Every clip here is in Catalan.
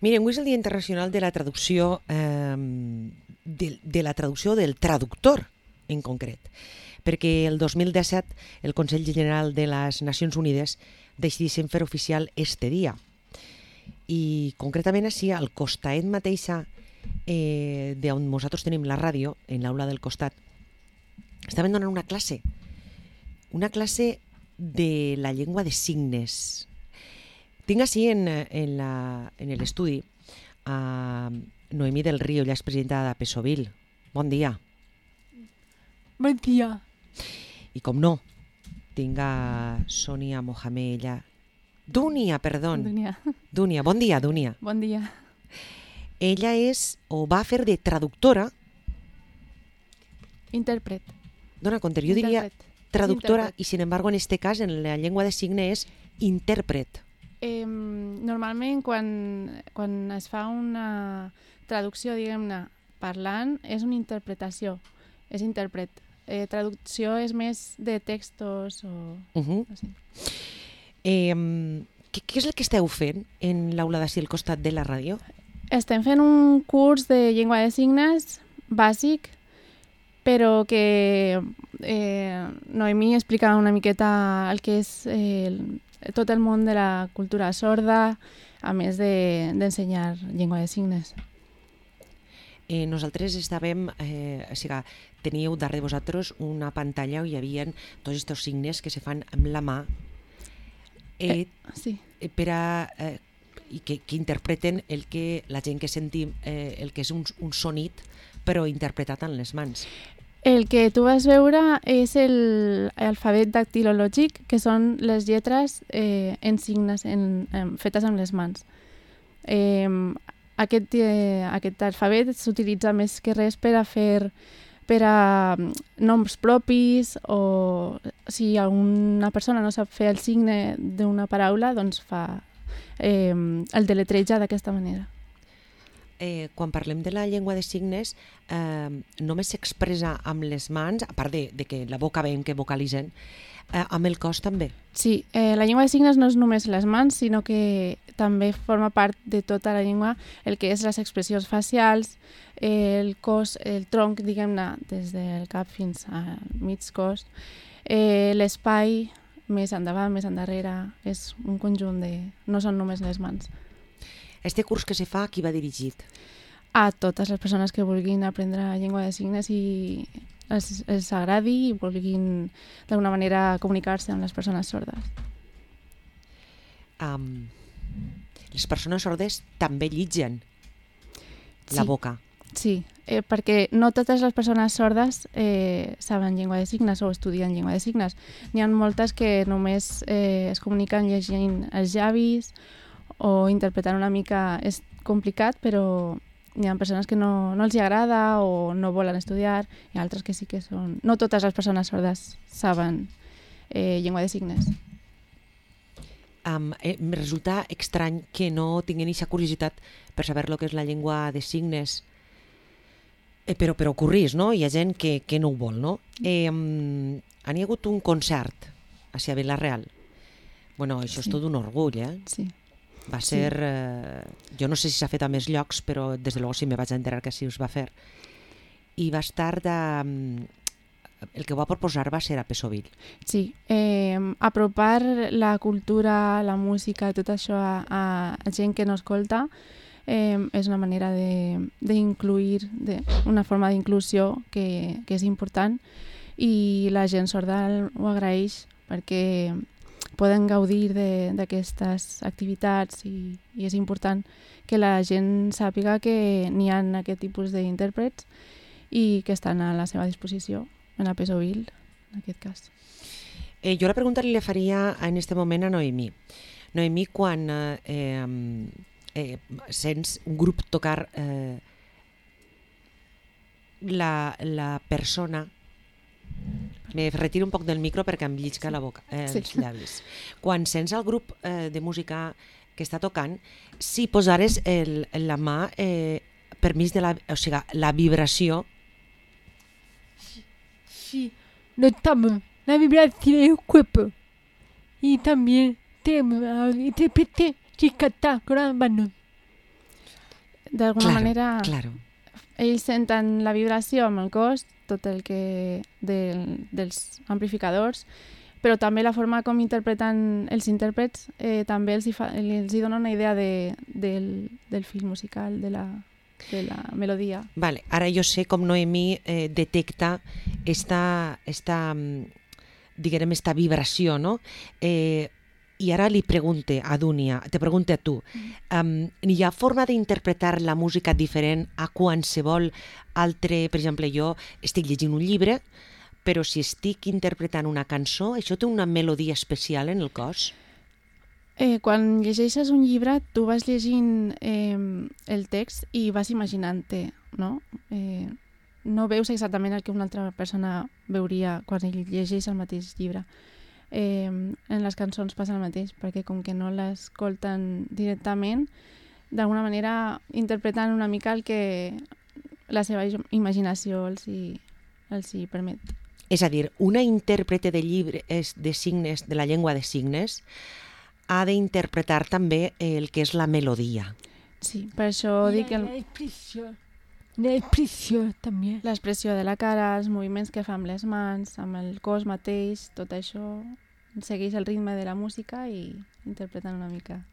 Miren, avui és el Dia Internacional de la Traducció, de la traducció del traductor, en concret, perquè el 2017 el Consell General de les Nacions Unides decidissin fer oficial este dia. I concretament així, al costat mateixa d'on nosaltres tenim la ràdio, en l'aula del costat, estaven donant una classe de la llengua de signes. Tinc així en l'estudi a Noemí del Río, ella és presidenta de Pesovil. Bon dia. Bon dia. I com no, tinc a Sònia Mohamed, ella... Dúnia, perdó. Dúnia, bon dia, Dúnia. Bon dia. Ella és, o va fer de traductora... Intèrpret. Dona compte, jo diria traductora i, sin embargo, en este cas, en la llengua de signes, és intèrpret. Normalment, quan es fa una traducció, diguem-ne, parlant, és una interpretació, és intèrpret. Traducció és més de textos o... Així. Què és el que esteu fent en l'aula d'ací al costat de la ràdio? Estem fent un curs de llengua de signes bàsic, però que Noemí explica una miqueta el que és tot el món de la cultura sorda, a més d'ensenyar llengua de signes. Nosaltres estàvem, teníeu darrere vosaltres una pantalla on hi havia tots aquests signes que se fan amb la mà sí. per a, i que interpreten el que la gent que sentim, el que és un sonit, però interpretat amb les mans. El que tu vas veure és l'alfabet dactilològic, que són les lletres en signes fetes amb les mans. Aquest alfabet s'utilitza més que res per a noms propis, o si alguna persona no sap fer el signe d'una paraula, doncs fa el deletreja d'aquesta manera. Quan parlem de la llengua de signes, només s'expressa amb les mans, a part de que la boca veiem que vocalitzen, amb el cos també. Sí, la llengua de signes no és només les mans, sinó que també forma part de tota la llengua el que és les expressions facials, el cos, el tronc, diguem-ne, des del cap fins al mig cos, l'espai més endavant, més endarrere, és un conjunt de... no són només les mans. Este curs que se fa, a qui va dirigit? A totes les persones que vulguin aprendre llengua de signes i els agradi i vulguin d'alguna manera comunicar-se amb les persones sordes. Les persones sordes també llitgen la boca. Sí, perquè no totes les persones sordes saben llengua de signes o estudien llengua de signes. N'hi ha moltes que només es comuniquen llegint els llavis o interpretant una mica. És complicat, però hi ha persones que no els hi agrada o no volen estudiar, i altres que sí que són... No totes les persones sordes saben llengua de signes. Em resulta estrany que no tinguin aquesta curiositat per saber el que és la llengua de signes, però ocorrís, no? Hi ha gent que no ho vol, no? Han hi hagut un concert a Vila-real. Bueno, això és tot un orgull, eh? Sí. Va ser... jo no sé si s'ha fet a més llocs, però des de llavors sí me vaig enterar que sí us va fer. I va estar el que va proposar va ser a Pesovil. Sí, apropar la cultura, la música, tot això a gent que no escolta és una manera d'incluir, una forma d'inclusió que és important, i la gent sorda ho agraeix perquè poden gaudir d'aquestes activitats, i és important que la gent sàpiga que n'hi ha aquest tipus d'intèrprets i que estan a la seva disposició en la Pesovil, en aquest cas. Jo la pregunta li faria en aquest moment a Noemí. Noemí, quan sents un grup tocar la persona... Me retiro un poc del micro perquè em llisca la boca, els llavis. Quan sents el grup de música que està tocant, si posares la mà per mig de la vibració... Sí, notamos la vibración del cuerpo y también tenemos a interpretar y cantar con las manos. d'alguna manera Claro. ells senten la vibració amb el cos, tot el que dels amplificadors, però també la forma com interpreten els intèrprets també els hi dona una idea del fil musical, de la melodia. Vale, ara jo sé com Noemí detecta esta diguem, esta vibració, no? I ara li pregunte a Dúnia, te pregunte a tu, hi ha forma d'interpretar la música diferent a qualsevol altre? Per exemple, jo estic llegint un llibre, però si estic interpretant una cançó, això té una melodia especial en el cos? Quan llegeixes un llibre, tu vas llegint el text i vas imaginant-te, no? No veus exactament el que una altra persona veuria quan ell llegeix el mateix llibre. En les cançons passa el mateix, perquè com que no l'escolten directament, d'alguna manera interpreten una mica el que la seva imaginació els hi permet. És a dir, una intèrprete de llibres de signes, de la llengua de signes, ha d'interpretar també el que és la melodia. Sí, per això dic que l'expressió també. l'expressió de la cara, els moviments que fa amb les mans, amb el cos mateix, tot això segueix el ritme de la música i interpreten una mica.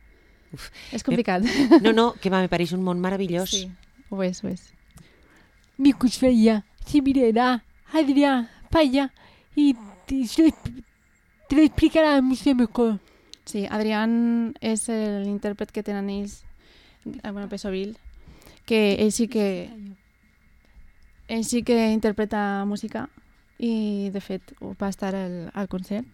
Uf. És complicat. No, que me pareix un món meravellós. Sí, ho és, ho és. Mi cosfeia, si mirarà, Adrià, falla, i te lo explicarà mucho mejor. Sí, Adrián és l'intèrpret que tenen ells, bueno, Pesovil, que ell sí que interpreta música i, de fet, va estar al concert.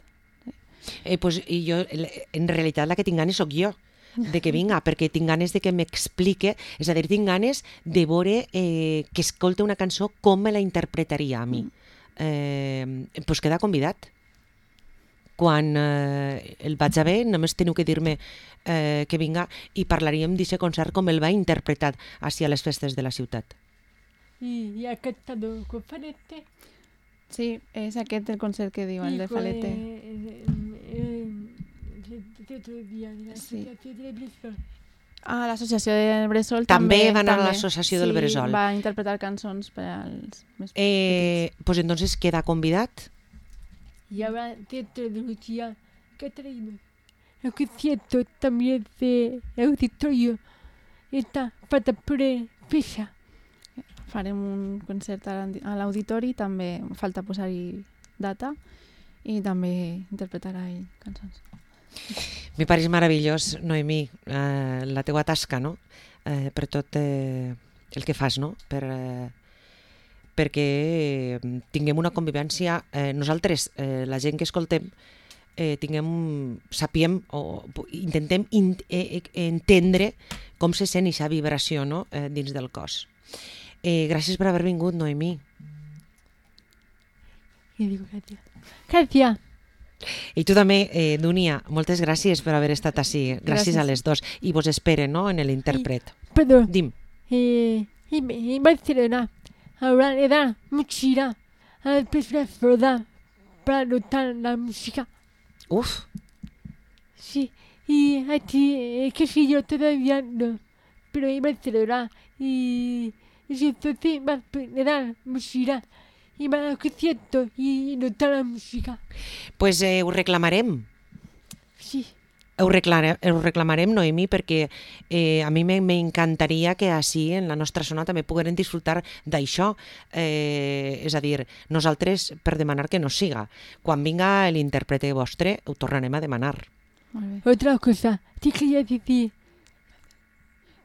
Pues, i jo, en realitat, la que tinc ganes sóc jo, de que vinga, perquè tinc ganes de que m'explique, és a dir, tinc ganes de veure que escolte una cançó com me la interpretaria a mi. Pues queda convidat. Quan el vaig a veure, només teniu que dir-me que vinga i parlaríem d'aquest concert com el va interpretar així a les festes de la ciutat. Y ha cantado con Falete. Sí, és aquest el concert que diu, el de Falete. Otro día de la Sí. Asociación de Bressol. Ah, l'associació del Bressol També també. va anar a l'associació del Bressol. Sí, va interpretar cançons per als més petits. Pues entonces queda convidat. Y ahora dentro de un día que ha traído el concierto también de auditorio. Está falta por fecha. Farem un concert a l'auditori, també falta posar-hi data i també interpretarà ell cançons. Me pareix meravellós, Noemí, la teua tasca, no? Per tot el que fas, no? Perquè tinguem una convivència, nosaltres, la gent que escoltem, sapiem o intentem entendre com se sent aquesta vibració, no? Dins del cos. Gràcies per haver vingut, Noemí. Y digo, gracias. Gracias. I tu també, Dúnia, moltes gràcies per haver estat així. Gràcies a les dos. I vos espere, no?, en l'intèrpret. Perdón. Dim. Y Barcelona ahora le da mochila a las personas sordas para notar la música. Uf, Sí, y aquí, que si yo todavía no, pero en Barcelona y entonces le dan mochila y van al concierto y notar la música. pues ho reclamarem. Sí. Ho reclamarem, Noemí, perquè a mi m'encantaria que així en la nostra zona també pogueren disfrutar d'això. És a dir, nosaltres per demanar que no siga. Quan vinga l'intèrprete vostre ho tornarem a demanar. Molt bé. Otra cosa, te quería decir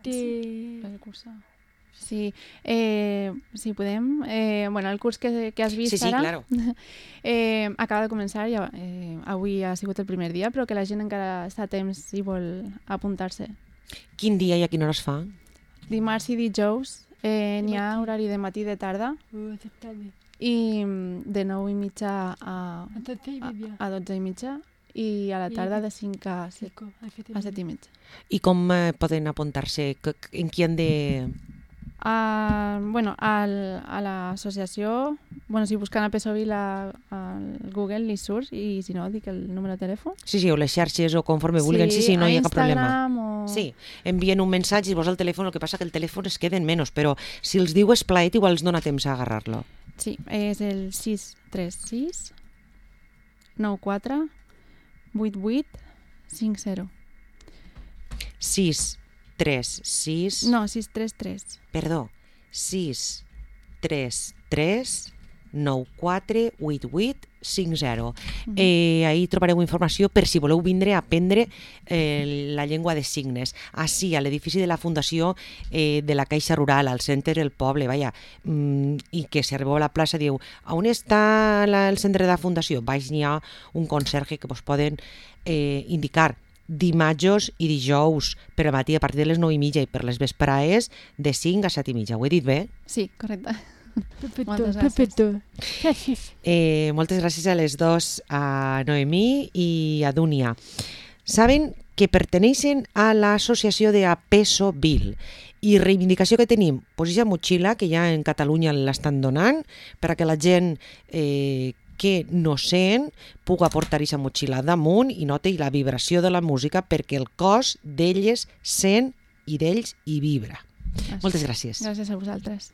El curs. Sí, si podem. Bueno, el curs que has vist Sí, ara claro. acaba de començar, ja, avui ha sigut el primer dia, però que la gent encara està a temps si vol apuntar-se. Quin dia i a quina hora es fa? Dimarts i dijous n'hi ha horari de matí i de tarda i de 9:30 a 12:30 i a la tarda de 5 a 7:30. I com poden apuntar-se? En qui han de... A l'associació, si busquen a Pesovil al Google li surt, i si no, dic el número de telèfon. Sí, o les xarxes o conforme vulguin, sí, no hi ha cap problema. O... Sí, envien un missatge i vos el telèfon, el que passa que el telèfon es queda en menys, però si els diu Esplaet igual els dona temps a agarrar-lo. Sí, és el 636 94 88 50. 636... No, 633. Perdó, 633 9488 50. Ahí trobareu informació per si voleu vindre a aprendre la llengua de signes. Així, a l'edifici de la Fundació de la Caixa Rural, al centre del poble, i que si arribeu a la plaça diu on està el centre de la Fundació? Baix n'hi ha un conserge que vos poden indicar dimarts i dijous per al matí a partir de les 9:30 i per les vesprades de 5 a 7:30. Ho he dit bé? Sí, correcte. Perfecto. Gràcies. Moltes gràcies a les dos, a Noemí i a Dúnia. Saben que perteneixen a l'associació de Pesovil i reivindicació que tenim, pues aquesta motxilla que ja en Catalunya l'estan donant per a que la gent que no sent puga portar aquesta motxilla damunt i noti la vibració de la música perquè el cos d'elles sent i d'ells hi vibra. Moltes gràcies. Gràcies a vosaltres.